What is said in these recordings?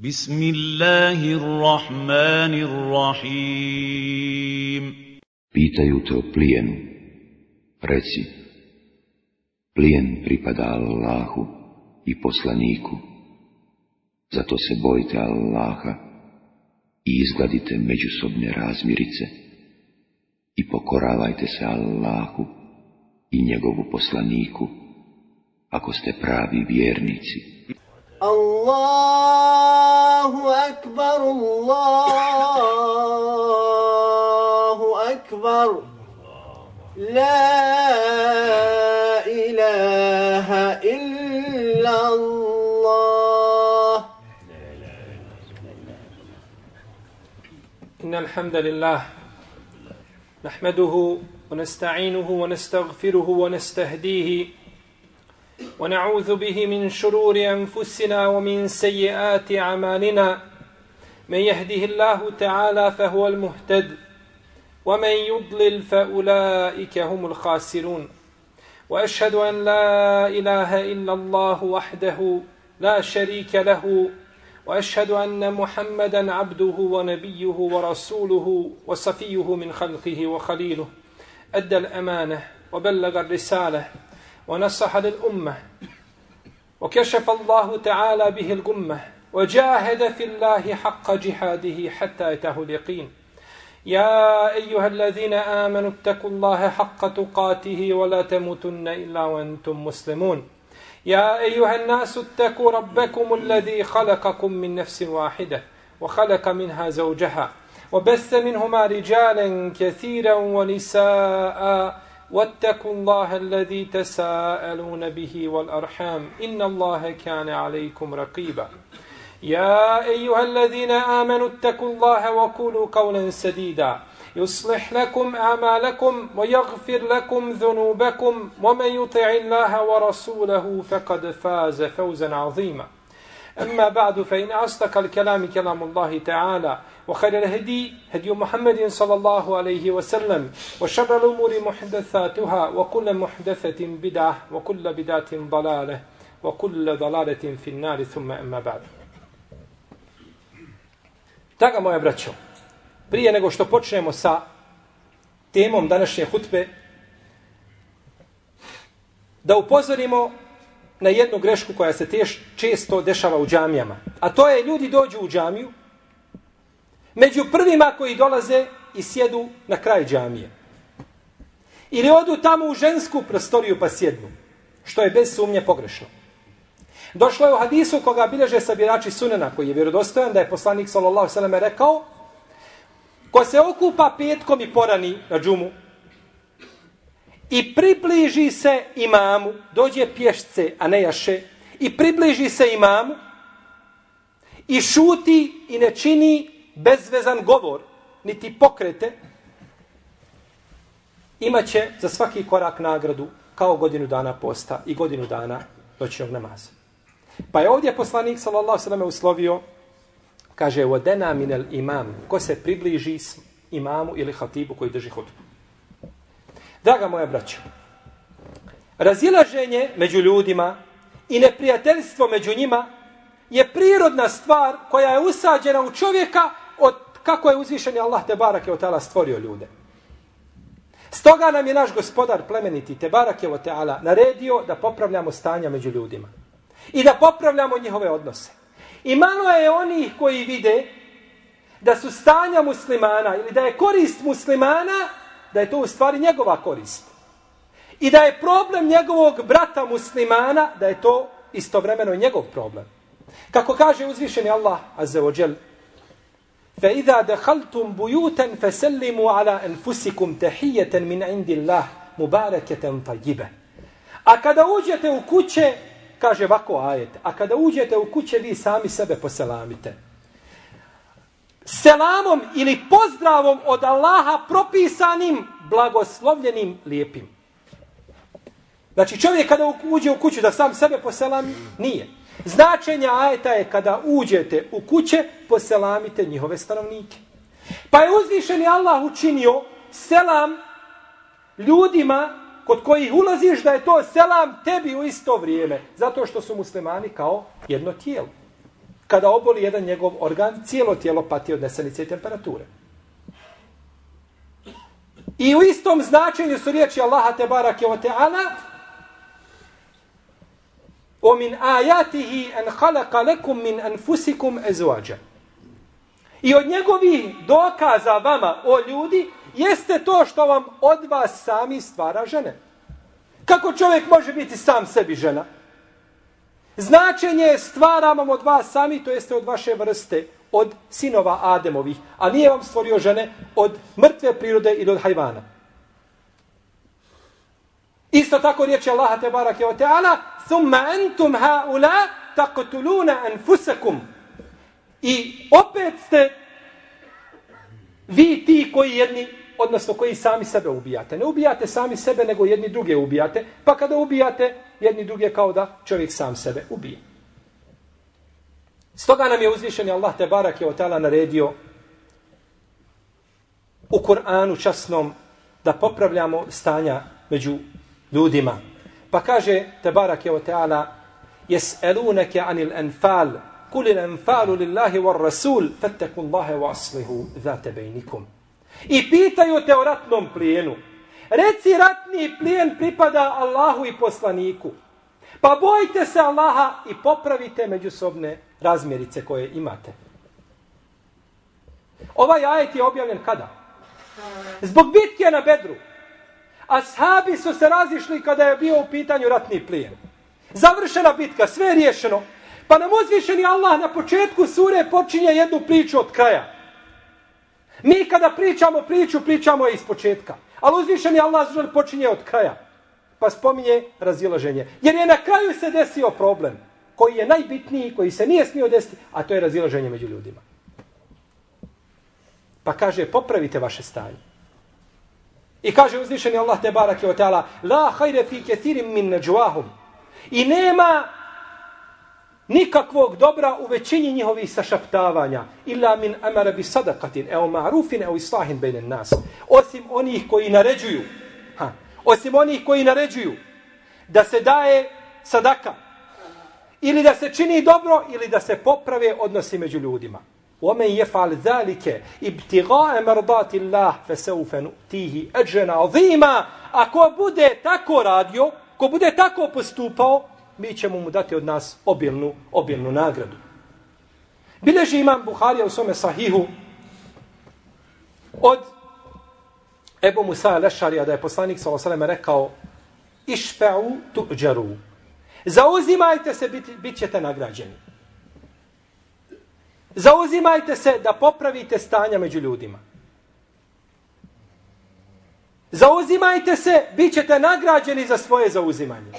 Bismillahirrahmanirrahim. Pitaju te o plijenu. Reci, plijen pripada Allahu i poslaniku. Zato se bojite Allaha i izgladite međusobne razmirice i pokoravajte se Allahu i njegovu poslaniku, ako ste pravi vjernici. Allahu akbar, Allahu akbar, la ilaha illa Allah. Innal hamdalillah nahmaduhu wa nasta'inuhu wa nastaghfiruhu wa nastahdihi ونعوذ به من شرور أنفسنا ومن سيئات أعمالنا من يهده الله تعالى فهو المهتد ومن يضلل فأولئك هم الخاسرون وأشهد أن لا إله إلا الله وحده لا شريك له وأشهد أن محمدا عبده ونبيه ورسوله وصفيه من خلقه وخليله أدى الأمانة وبلغ الرسالة ونصح للأمة وكشف الله تعالى به الغمة وجاهد في الله حق جهاده حتى أتاه اليقين يا أيها الذين آمنوا اتقوا الله حق تقاته ولا تموتن إلا وأنتم مسلمون يا أيها الناس اتقوا ربكم الذي خلقكم من نفس واحدة وخلق منها زوجها وبث منهما رجالا كثيرا ونساء واتقوا الله الذي تساءلون به والأرحام إن الله كان عليكم رقيبا يا أيها الذين آمنوا اتقوا الله وقولوا قولا سديدا يصلح لكم أعمالكم ويغفر لكم ذنوبكم ومن يطع الله ورسوله فقد فاز فوزا عظيما أما بعد فإن أصدق الكلام كلام الله تعالى وخير الهدي هدي محمد صلى الله عليه وسلم وشر الأمور محدثاتها وكل محدثة بدعة وكل بدعة ضلالة وكل ضلالة في النار ثم أما بعد. Draga moja braćo, prije nego što počnemo sa temom današnje hutbe, da upozorimo na jednu grešku koja se često dešava u džamijama. A to je, ljudi dođu u džamiju, među prvima koji dolaze i sjedu na kraj džamije. Ili odu tamo u žensku prostoriju pa sjednu, što je bez sumnje pogrešno. Došlo je u hadisu koga bilježe sabirači sunena, koji je vjerodostojan, da je poslanik sallallahu alejhi ve sellem rekao: ko se okupa petkom i porani na džumu i približi se imamu, dođe pješce, a ne jaše, i približi se imamu i šuti i ne čini bezvezan govor, niti pokrete, imaće za svaki korak nagradu kao godinu dana posta i godinu dana noćnog namaza. Pa je ovdje poslanik sallallahu alejhi ve sellem uslovio, kaže: "Vodena minel imam", ko se približi imamu ili hatibu koji drži hutbu. Draga moja braćo, razilaženje među ljudima i neprijateljstvo među njima je prirodna stvar koja je usađena u čovjeka od kako je uzvišeni Allah tebarake ve taala stvorio ljude. Stoga nam je naš gospodar plemeniti tebarake ve taala naredio da popravljamo stanja među ljudima i da popravljamo njihove odnose. I malo je onih koji vide da su stanja muslimana ili da je korist muslimana, da je to u stvari njegova korist. I da je problem njegovog brata muslimana, da je to istovremeno njegov problem. Kako kaže uzvišeni Allah azza wa jal: فَإِذَا دَخَلْتُمْ بُيُوتًا فَسَلِّمُوا عَلَىٰ أَنفُسِكُمْ تَحِيَّةً مِنْ عِنْدِ اللَّهِ مُبَارَكَةً طَيِّبَةً. A kada uđete u kuće, kaže ovako ajet, a kada uđete u kuće vi sami sebe poselamite. Selamom ili pozdravom od Allaha propisanim, blagoslovljenim, lijepim. Znači čovjek kada uđe u kuću da sam sebe poselami, nije. Značenje ajeta je kada uđete u kuće, poselamite njihove stanovnike. Pa je uzvišeni Allah učinio selam ljudima kod kojih ulaziš da je to selam tebi u isto vrijeme. Zato što su muslimani kao jedno tijelo. kada oboli jedan njegov organ, cijelo tijelo pati od nesanice i temperature. I u istom značenju su riječi Allaha tebarake wa ta'ala وَمِنْ آيَاتِهِ أَنْ خَلَقَ لَكُمْ مِنْ أَنْفُسِكُمْ أَزْوَاجًا. I od njegovih dokaza vama, o ljudi, jeste to što vam od vas sami stvara žene. Kako čovjek može biti sam sebi žena? Značenje je stvara vam od vas sami, to jeste od vaše vrste, od sinova Ademovih, a nije vam stvorio žene od mrtve prirode ili od hajvana. Isto tako riječi Allaha tebarake wa ta'ala ثُمَّ أَنْتُمْ هَؤُلَا تَقْتُلُونَ أَنْفُسَكُمْ. I opet ste vi ti koji jedni, odnosno koji sami sebe ubijate. Ne ubijate sami sebe, nego jedni druge ubijate, pa kada ubijate jedni druge kao da čovjek sam sebe ubije. Stoga nam je uzvišeni Allah tebarake wa ta'ala naredio u Kur'anu časnom da popravljamo stanja među ljudima. Pa kaže tebarake wa ta'ala يَسْأَلُونَكَ عَنِ الْأَنْفَالِ قُلِ الْأَنْفَالُ لِلَّهِ وَالرَّسُولِ فَاتَّقُوا اللَّهَ وَأَصْلِحُوا ذَاتَ بَيْنِكُمْ. I pitaju te o ratnom plijenu. Reci, ratni plijen pripada Allahu i poslaniku. Pa bojte se Allaha i popravite međusobne razmjerice koje imate. Ovaj ajet je objavljen kada? Zbog bitke na Bedru. Ashabi su se razišli kada je bio u pitanju ratni plijen. Završena bitka, sve je riješeno. Pa nam uzvišeni Allah na početku sure počinje jednu priču od kraja. Mi kada pričamo priču, pričamo je iz početka. Ali uzvišeni Allah počinje od kraja. Pa spominje razilaženje. Jer je na kraju se desio problem koji je najbitniji, koji se nije smio desiti, a to je razilaženje među ljudima. Pa kaže, popravite vaše stanje. I kaže uzvišeni Allah tebarake wa ta'ala la hajre fi kethirim min najwahum. I nema nikakvog dobra u većini njihovih sašaptavanja. Illa min amara bi sadaqatin, evo ma'rufin, evo islahin bejnen nas. Osim onih koji naređuju. Osim onih koji naređuju da se daje sadaka. Ili da se čini dobro, ili da se poprave odnosi među ljudima. وَمَنْ يَفْعَلْ ذَلِكَ ابْتِغَاءَ مَرْضَاتِ اللَّهِ فَسَوْفَ نُؤْتِيهِ أَجْرًا عَظِيمًا. Ako bude tako radio, ko bude tako postupao, mi ćemo mu dati od nas obilnu nagradu. Bileži imam Buharija u svome sahihu od Ebu Musa al-Ešarija da je poslanik s.a.v. rekao išfe'u tu'đaru. Zauzimajte se, bit ćete nagrađeni. Zauzimajte se da popravite stanja među ljudima. Zauzimajte se, bit ćete nagrađeni za svoje zauzimanje.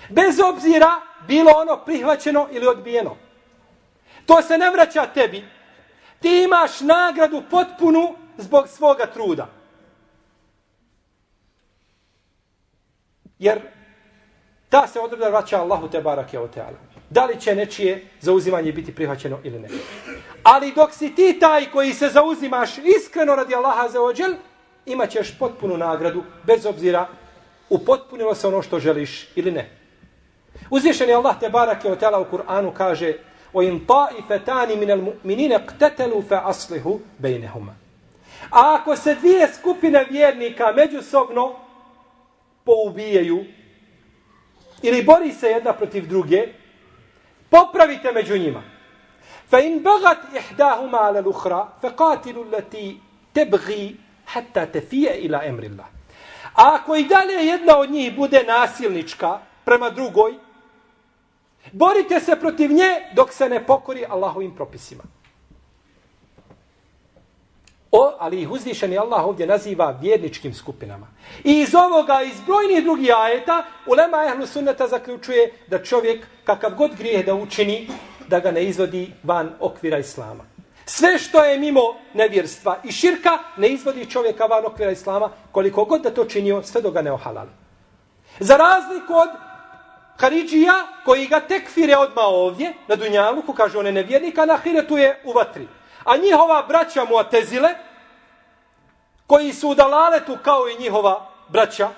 Bez obzira bilo ono prihvaćeno ili odbijeno. To se ne vraća tebi. Ti imaš nagradu potpunu zbog svoga truda. Jer ta se odredba vraća Allahu tebarake wa ta'ala. Da li će nečije zauzimanje biti prihvaćeno ili ne. Ali dok si ti taj koji se zauzimaš iskreno radi Allaha azza wa džel, imat ćeš potpunu nagradu, bez obzira upotpunilo se ono što želiš ili ne. Uzvišeni Allah tebarake wa ta'ala u Kur'anu kaže وَإِنْ طَائِفَتَانِ مِنَ الْمُؤْمِنِينَ اقْتَتَلُوا فَأَصْلِحُوا بَيْنَهُمَا. A ako se dvije skupine vjernika međusobno poubijaju ili bori se jedna protiv druge, popravite među njima. فَإِنْ بَغَتْ إِحْدَاهُمَا عَلَى الْأُخْرَى فَقَاتِلُوا الَّتِي تَبْغِي حَتَّى تَفِيَ إِلَى أَمْرِ اللَّهِ. A ako i dalje jedna od njih bude nasilnička prema drugoj, borite se protiv nje dok se ne pokori Allahovim propisima. Ali ih uzvišeni Allah ovdje naziva vjerničkim skupinama. I iz ovoga, iz brojnih drugih ajeta, ulema ehlu sunneta zaključuje da čovjek, kakav god grijeh da učini, da ga ne izvodi van okvira islama. Sve što je mimo nevjerstva i širka, ne izvodi čovjeka van okvira islama, koliko god da to činio, sve do ga ne ohalali. Za razliku od Haridžija, koji ga tekfire odmah ovdje, na dunjaluku, kaže on je nevjernik, a na ahiretu je u vatri. A njihova braća Mu'tezile, koji su u dalaletu kao i njihova braća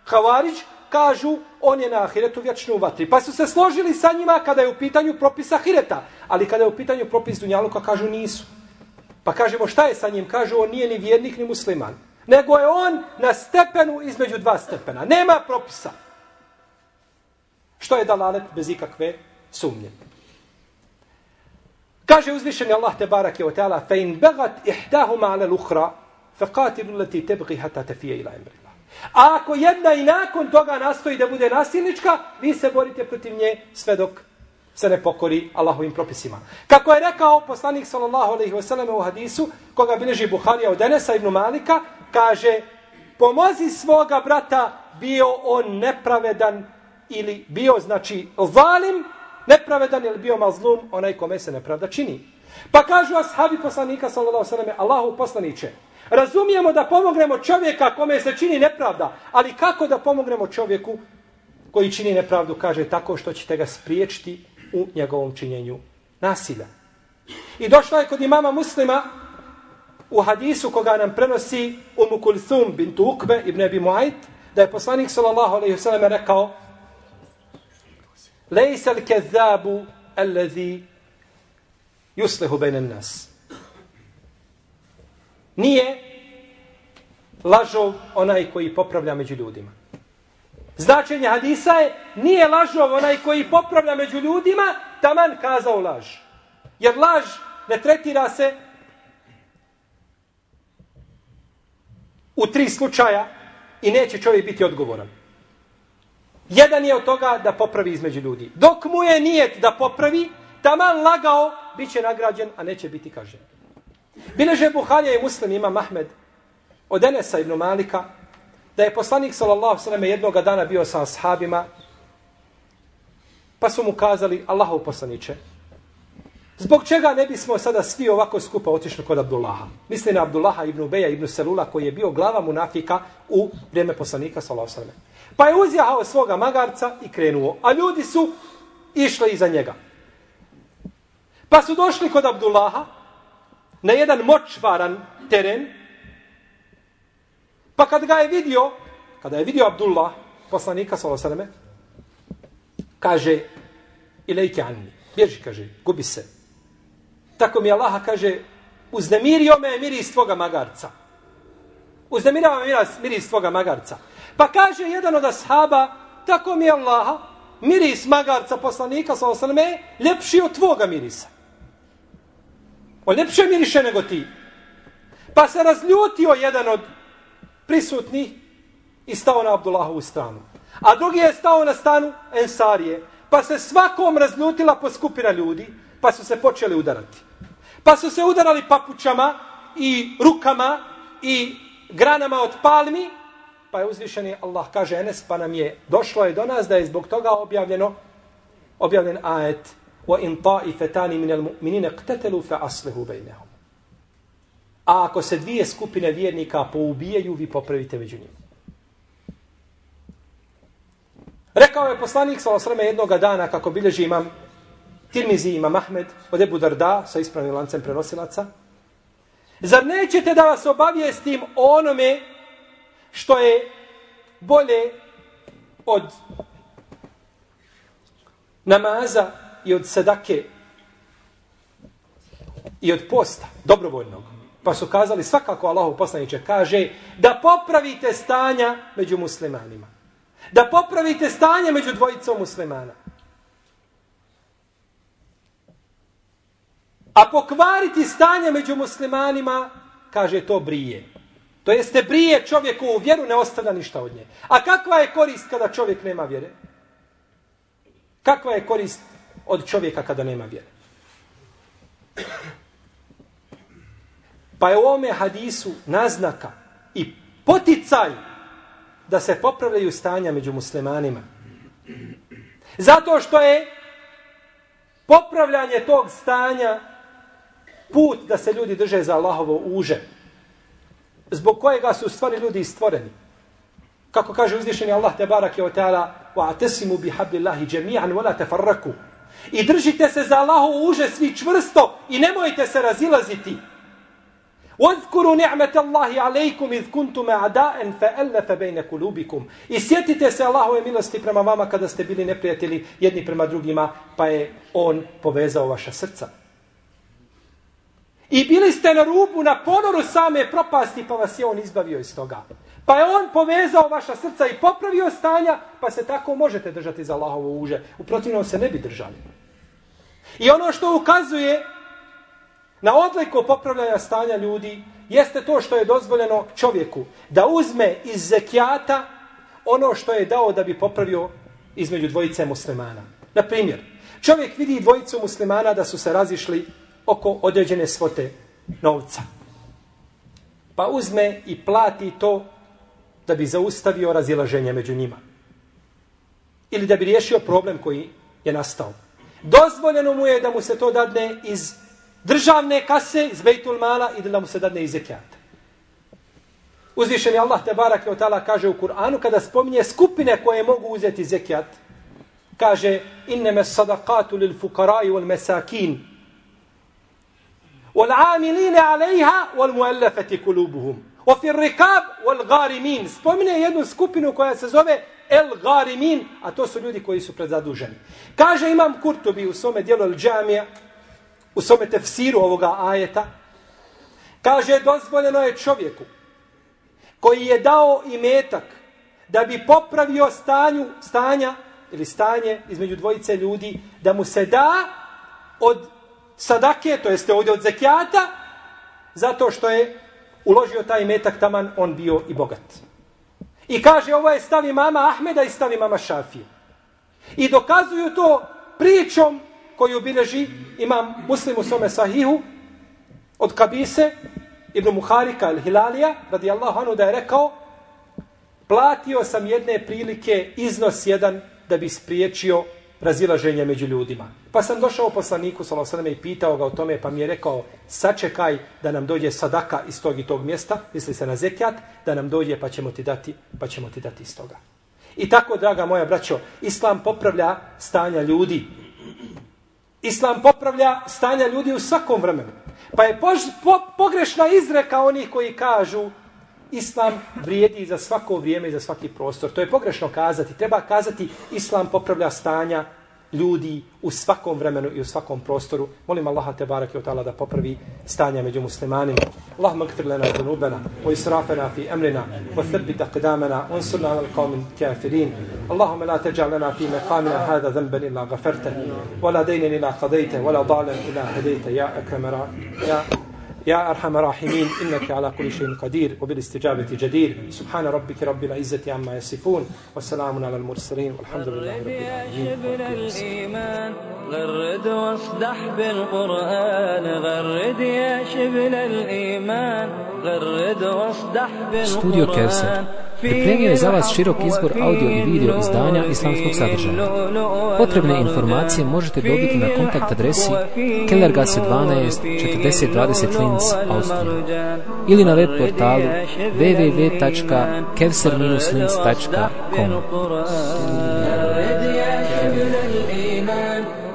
Havarić, kažu on je na ahiretu vječno u vatri. Pa su se složili sa njima kada je u pitanju propis ahireta. Ali kada je u pitanju propis dunjaluka, kažu nisu. Pa kažemo šta je sa njim? Kažu on nije ni vjernik ni musliman. Nego je on na stepenu između dva stepena. Nema propisa. Što je dalalet bez ikakve sumnje. Kaže uzvišeni Allah tebarake ve taala: "Fa in bagat ihdahuma 'ala al-ukhra faqatilu allati tabghi hatta tafiya ila amrillah." A ako jedna i nakon toga nastoji da bude nasilnička, vi se borite protiv nje sve dok se ne pokori Allahovim propisima. Kako je rekao poslanik sallallahu alejhi ve sellem u hadisu koga bilježi Buharija od Enesa ibn Malika, kaže: "Pomozi svoga brata, bio on nepravedan ili bio znači zalim, nepravedan ili bio mazlum, onaj kome se nepravda čini." Pa kažu ashabi poslanika sallallahu alejhi ve selleme: "Allahu poslanice, razumijemo da pomognemo čovjeka kome se čini nepravda, ali kako da pomognemo čovjeku koji čini nepravdu?" Kaže: "Tako što ćete ga spriječiti u njegovom činjenju nasilja." I došla je kod imama Muslima u hadisu koga nam prenosi Umu Kulthum bintu Ukbe ibn Abi Muayt, da je poslanik sallallahu alejhi ve sellem rekao: "Lejsa al-kezzabu allazi yuslihu bejna an-nas." Nije lažov onaj koji popravlja među ljudima. Značenje hadisa je: nije lažov onaj koji popravlja među ljudima, taman kazao laž. Jer laž ne tretira se u 3 slučaja i neće čovjek biti odgovoran. Jedan je od toga da popravi između ljudi. Dok mu je nijet da popravi, taman lagao, bit će nagrađen, a neće biti kažnjen. Bileže Buharija i Muslim imam Ahmed od Enesa ibn Malika da je poslanik sallallahu alejhi ve sellem jednoga dana bio sa ashabima, pa su mu kazali: "Allahov poslanice, zbog čega ne bismo sada svi ovako skupa otišli kod Abdullaha?" Misli na Abdullaha ibn Ubeja ibn Selula koji je bio glava munafika u vrijeme poslanika sallallahu alejhi ve sellem. Pa je uzjahao svoga magarca i krenuo, a ljudi su išli iza njega. Pa su došli kod Abdullaha na jedan močvaran teren. Pa kada je vidio Abdullah, poslanika sallallahu alejhi ve selleme, kaže: "Ilejke anni", bježi, kaže, gubi se. Tako mi Allah kaže: "Uznemirio me miris tvoga magarca." Uznemirava me miris tvoga magarca. Pa kaže jedan od ashaba: "Tako mi Allah, miris magarca poslanika sallallahu alejhi ve selleme ljepši od tvoga mirisa. On ljepše miriše nego ti." Pa se razljutio jedan od prisutnih i stao na Abdullahovu stranu. A drugi je stao na stranu Ensarije. Pa se svakom razljutila po skupina ljudi, pa su se počeli udarati. Pa su se udarali papučama i rukama i granama od palmi, pa je uzvišeni Allah, kaže Enes, pa nam je došlo je do nas da je zbog toga objavljen ajet: "Wa in ta'ifatan min al-mu'minina iqtatalu fa aslihu bainahum." A ako se 2 skupine vjernika poubijaju, vi popravite među njima. Rekao je poslanik sallallahu alejhi ve sellem jednoga dana, kako bilježi imam Tirmizi, imam Ahmed od Ebu Darda sa ispravnim lancem prenosilaca: "Zar nećete da vas obavijestim o onome što je bolje od namaza i od sadake i od posta, dobrovoljnog?" Pa su kazali: "Svakako, Allahov poslanice." Kaže: "Da popravite stanja među muslimanima. Da popravite stanje među dvojicom muslimana. A pokvariti stanje među muslimanima, kaže, to brije. To jeste brije čovjeku u vjeru, ne ostavlja ništa od nje. A kakva je korist kada čovjek nema vjere? Kakva je korist od čovjeka kada nema vjere? Pa je u ovome hadisu naznaka i poticaj da se popravljaju stanja među muslimanima. Zato što je popravljanje tog stanja put da se ljudi drže za Allahovo uže, zbog kojega su u stvari ljudi stvoreni. Kako kaže uzvišeni Allah tebarake ve taala: "Wa'tasimu bihablillahi jami'an wa la tafarraku." I držite se za Allahovo uže svi čvrsto i nemojte se razilaziti. وَاذْكُرُوا نِعْمَةَ اللَّهِ عَلَيْكُمْ إِذْ كُنْتُمْ أَعْدَاءً فَأَلَّفَ بَيْنَ قُلُوبِكُمْ. I sjetite se Allahove milosti prema vama kada ste bili neprijatelji jedni prema drugima, pa je on povezao vaša srca. I bili ste na rubu, na ponoru same propasti, pa vas je on izbavio iz toga. Pa je on povezao vaša srca i popravio stanja, pa se tako možete držati za Allahovo uže. U protivnom se ne bi držali. I ono što ukazuje na odliku popravljanja stanja ljudi jeste to što je dozvoljeno čovjeku da uzme iz zekijata ono što je dao da bi popravio između dvojice muslimana. Na primjer, čovjek vidi dvojicu muslimana da su se razišli oko određene svote novca. Pa uzme i plati to da bi zaustavio razilaženje među njima. Ili da bi riješio problem koji je nastao. Dozvoljeno mu je da mu se to dadne iz državne kase, iz Bejtul Mala i da mu se dadne iz zekijata. Uzvišeni Allah tebareke ve taala kaže u Kur'anu kada spominje skupine koje mogu uzeti zekijat, kaže innama sadaqatu lil fuqara'i wal masakin wal 'amilina 'alayha wal mu'allafati qulubuhum wa fi ar-riqab wal gharimin. Spominje jednu skupinu koja se zove el gharimin, a to su ljudi koji su predzaduženi. Kaže imam Kurtubi u svome djelu El Džamija, u svome tefsiru ovoga ajeta, kaže dozvoljeno je čovjeku koji je dao imetak da bi popravio stanje između dvojice ljudi, da mu se da od sadake, to jeste ovdje od zekijata, zato što je uložio taj imetak, taman on bio i bogat. I kaže ovo je stav imama Ahmeda i stav imama Šafije. I dokazuju to pričom koju bilježi imam Muslim u svome sahihu od Kabise ibn Muharika el-Hilalija radijallahu anhu da je rekao platio sam jedne prilike iznos jedan da bi spriječio razilaženje među ljudima. Pa sam došao poslaniku sallallahu alejhi ve sellem i pitao ga o tome, pa mi je rekao sačekaj da nam dođe sadaka iz tog i tog mjesta, misli se na zekijat, da nam dođe pa ćemo ti dati iz toga. I tako, draga moja braćo, Islam popravlja stanja ljudi. Islam popravlja stanja ljudi u svakom vremenu. Pa je pogrešna izreka onih koji kažu Islam vrijedi za svako vrijeme i za svaki prostor. To je pogrešno kazati. Treba kazati Islam popravlja stanja ljudi u svakom vremenu i u svakom prostoru. Molim Allaha tebareke ve taala da popravi stanja među muslimanima. Allahumma ighfir lana dhunubana wa israfana fi amrina wa thabbit aqdamana wansurna 'ala al-qawmi al-kafirin. Allahumma la taj'al lana fi maqamina hadha dhanban illa ghafartahu wa la daynan illa qadaytahu wa la dalan illa hadaytahu ya akram يا أرحم الراحمين إنك على كل شيء قدير وبالاستجابة جدير. سبحان ربك رب العزة عما يصفون والسلام على المرسلين والحمد لله رب العالمين. غرد واصدح بالقرآن غرد يا شبل الإيمان غرد واصدح بالقرآن. Studio Kevser pripremio je za vas širok izbor audio i video izdanja islamskog sadržaja. Potrebne informacije možete dobiti na kontakt adresi Kellergasse 12 4020 Linz, Austrija ili na web portalu www.kevser-linz.com.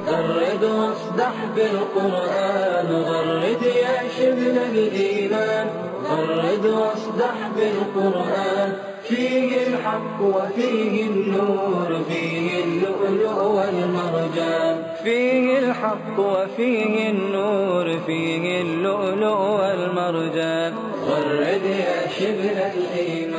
غرد واصدح بالقرآن غرد يا شبل الإيمان غرد واصدح بالقرآن فيه الحق وفيه النور فيه اللؤلؤ والمرجان فيه الحق وفيه النور فيه اللؤلؤ والمرجان غرد يا شبل الإيمان